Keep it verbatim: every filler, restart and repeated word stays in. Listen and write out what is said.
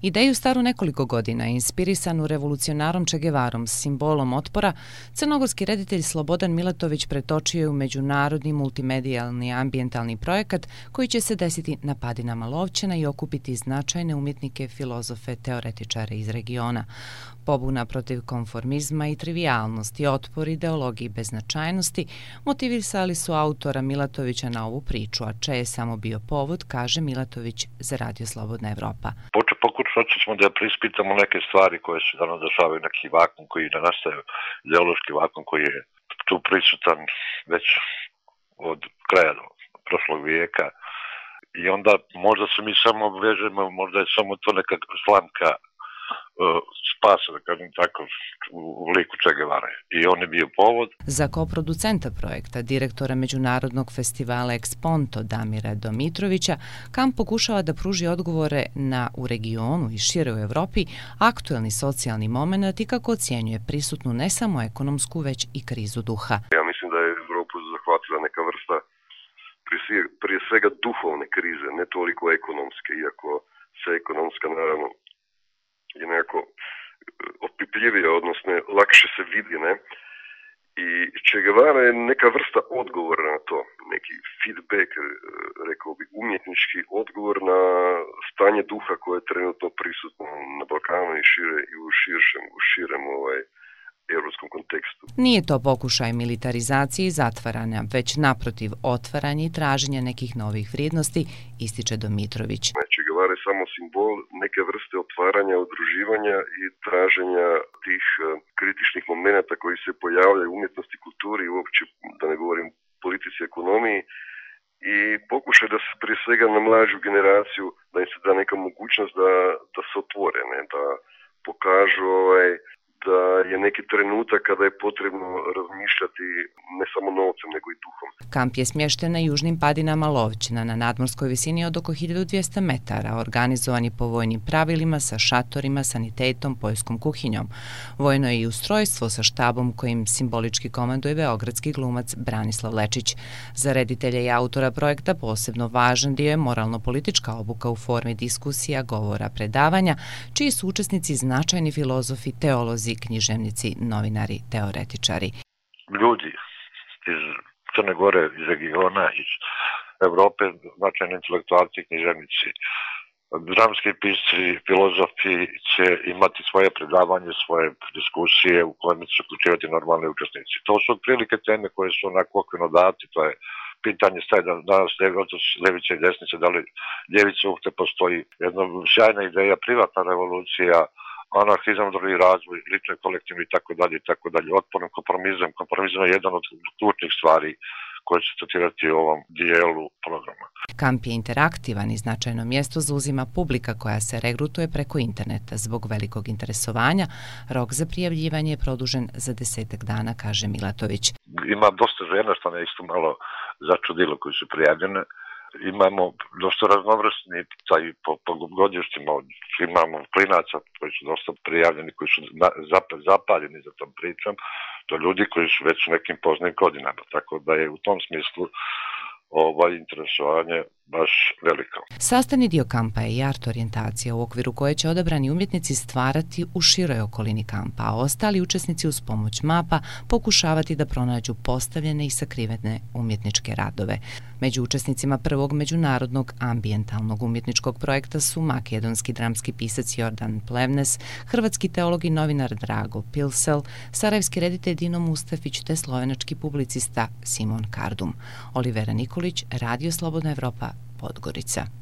Ideju staru nekoliko godina, inspirisanu revolucionarom Che Guevarom, simbolom otpora, crnogorski reditelj Slobodan Milatović pretočio je u međunarodni multimedijalni ambijentalni projekat koji će se desiti na padinama Lovćena i okupiti značajne umjetnike, filozofe, teoretičare iz regiona. Pobuna protiv konformizma i trivijalnosti, otpor ideologiji beznačajnosti motivisali su autora Milatovića na ovu priču, a Che je samo bio povod, kaže Milatović za Radio Slobodna Evropa. Pokušat ćemo da preispitamo neke stvari koje se danas dešavaju, neki vakum koji ne nastaje, ideološki vakum koji je tu prisutan već od kraja prošlog vijeka. I onda možda se mi samo obvežemo, možda je samo to neka slamka spasa, da kažem tako, u liku Che Guevara. I on je bio povod. Za koproducenta projekta, direktora Međunarodnog festivala Exponto Damira Domitrovića, kamp pokušava da pruži odgovore na u regionu i šire u Evropi aktuelni socijalni moment i kako ocjenjuje prisutnu ne samo ekonomsku, već i krizu duha. Ja mislim da je Evropu zahvatila neka vrsta prije svega duhovne krize, ne toliko ekonomske, iako se ekonomska naravno je nekako opipljivije, odnosno lakše se vidi, ne? I Che Guevara je neka vrsta odgovora na to, neki feedback, rekao bi, umjetnički odgovor na stanje duha koje je trenutno prisutno na Balkanu i šire i u širšem, u širem ovaj, evropskom kontekstu. Nije to pokušaj militarizacije i zatvaranja, već naprotiv otvaranja i traženja nekih novih vrijednosti, ističe Domitrović. Che Guevara je samo simbol neke vrste otvaranja, udruživanja i traženja tih kritičnih momenata koji se pojavljaju u umjetnosti, kulturi i uopće, da ne govorim, politici, ekonomiji, i pokušaj da se prije svega na mlađu generaciju, da im se da neka mogućnost da, da se otvore, ne, da pokažu ovaj, da je neki trenutak kada je potrebno razmišljati ne samo novcem, nego i duhom. Kamp je smješten na južnim padinama Lovćena, na nadmorskoj visini od oko hiljadu dvjesto metara, organizovan je po vojnim pravilima sa šatorima, sanitetom, poljskom kuhinjom. Vojno je i ustrojstvo sa štabom kojim simbolički komanduje beogradski glumac Branislav Lečić. Za reditelja i autora projekta posebno važan dio je moralno-politička obuka u formi diskusija, govora, predavanja, čiji su učesnici značajni filozofi, teolozi, književnici, novinari, teoretičari. Ljudi iz Crne Gore, iz regiona, iz Evrope, značajni intelektualci, književnici, dramski pisci, filozofi će imati svoje predavanje, svoje diskusije u kojima će se uključivati normalni učesnici. To su otprilike teme koje su onako okvirno dati, to je pitanje staje danas levice i desnice, da li ljevica uopšte postoji. Jedna sjajna ideja, privatna revolucija, anarhizam, drugi razvoj, lični kolektivni i tako dalje i tako dalje. Otpornim kompromizam. Kompromizam je jedan od ključnih stvari koje će statirati u ovom dijelu programa. Kamp je interaktivan i značajno mjesto zauzima publika koja se regrutuje preko interneta. Zbog velikog interesovanja, rok za prijavljivanje je produžen za desetak dana, kaže Milatović. Ima dosta žena, što me isto malo začudilo, koji su prijavljene. Imamo dosta raznovrsni taj po, po godištima, imamo klinaca koji su dosta prijavljeni, koji su zapaljeni za tom pričom, to ljudi koji su već u nekim poznim godinama, tako da je u tom smislu ovaj interesovanje baš veliko. Sastavni dio kampa je i art orijentacija u okviru koje će odabrani umjetnici stvarati u široj okolini kampa, a ostali učesnici uz pomoć mapa pokušavati da pronađu postavljene i sakrivene umjetničke radove. Među učesnicima prvog međunarodnog ambijentalnog umjetničkog projekta su makedonski dramski pisac Jordan Plevnes, hrvatski teolog i novinar Drago Pilsel, sarajevski reditelj Dino Mustafić te slovenački publicista Simon Kardum. Olivera Nikolić, Radio Slobodna Evropa, Podgorica.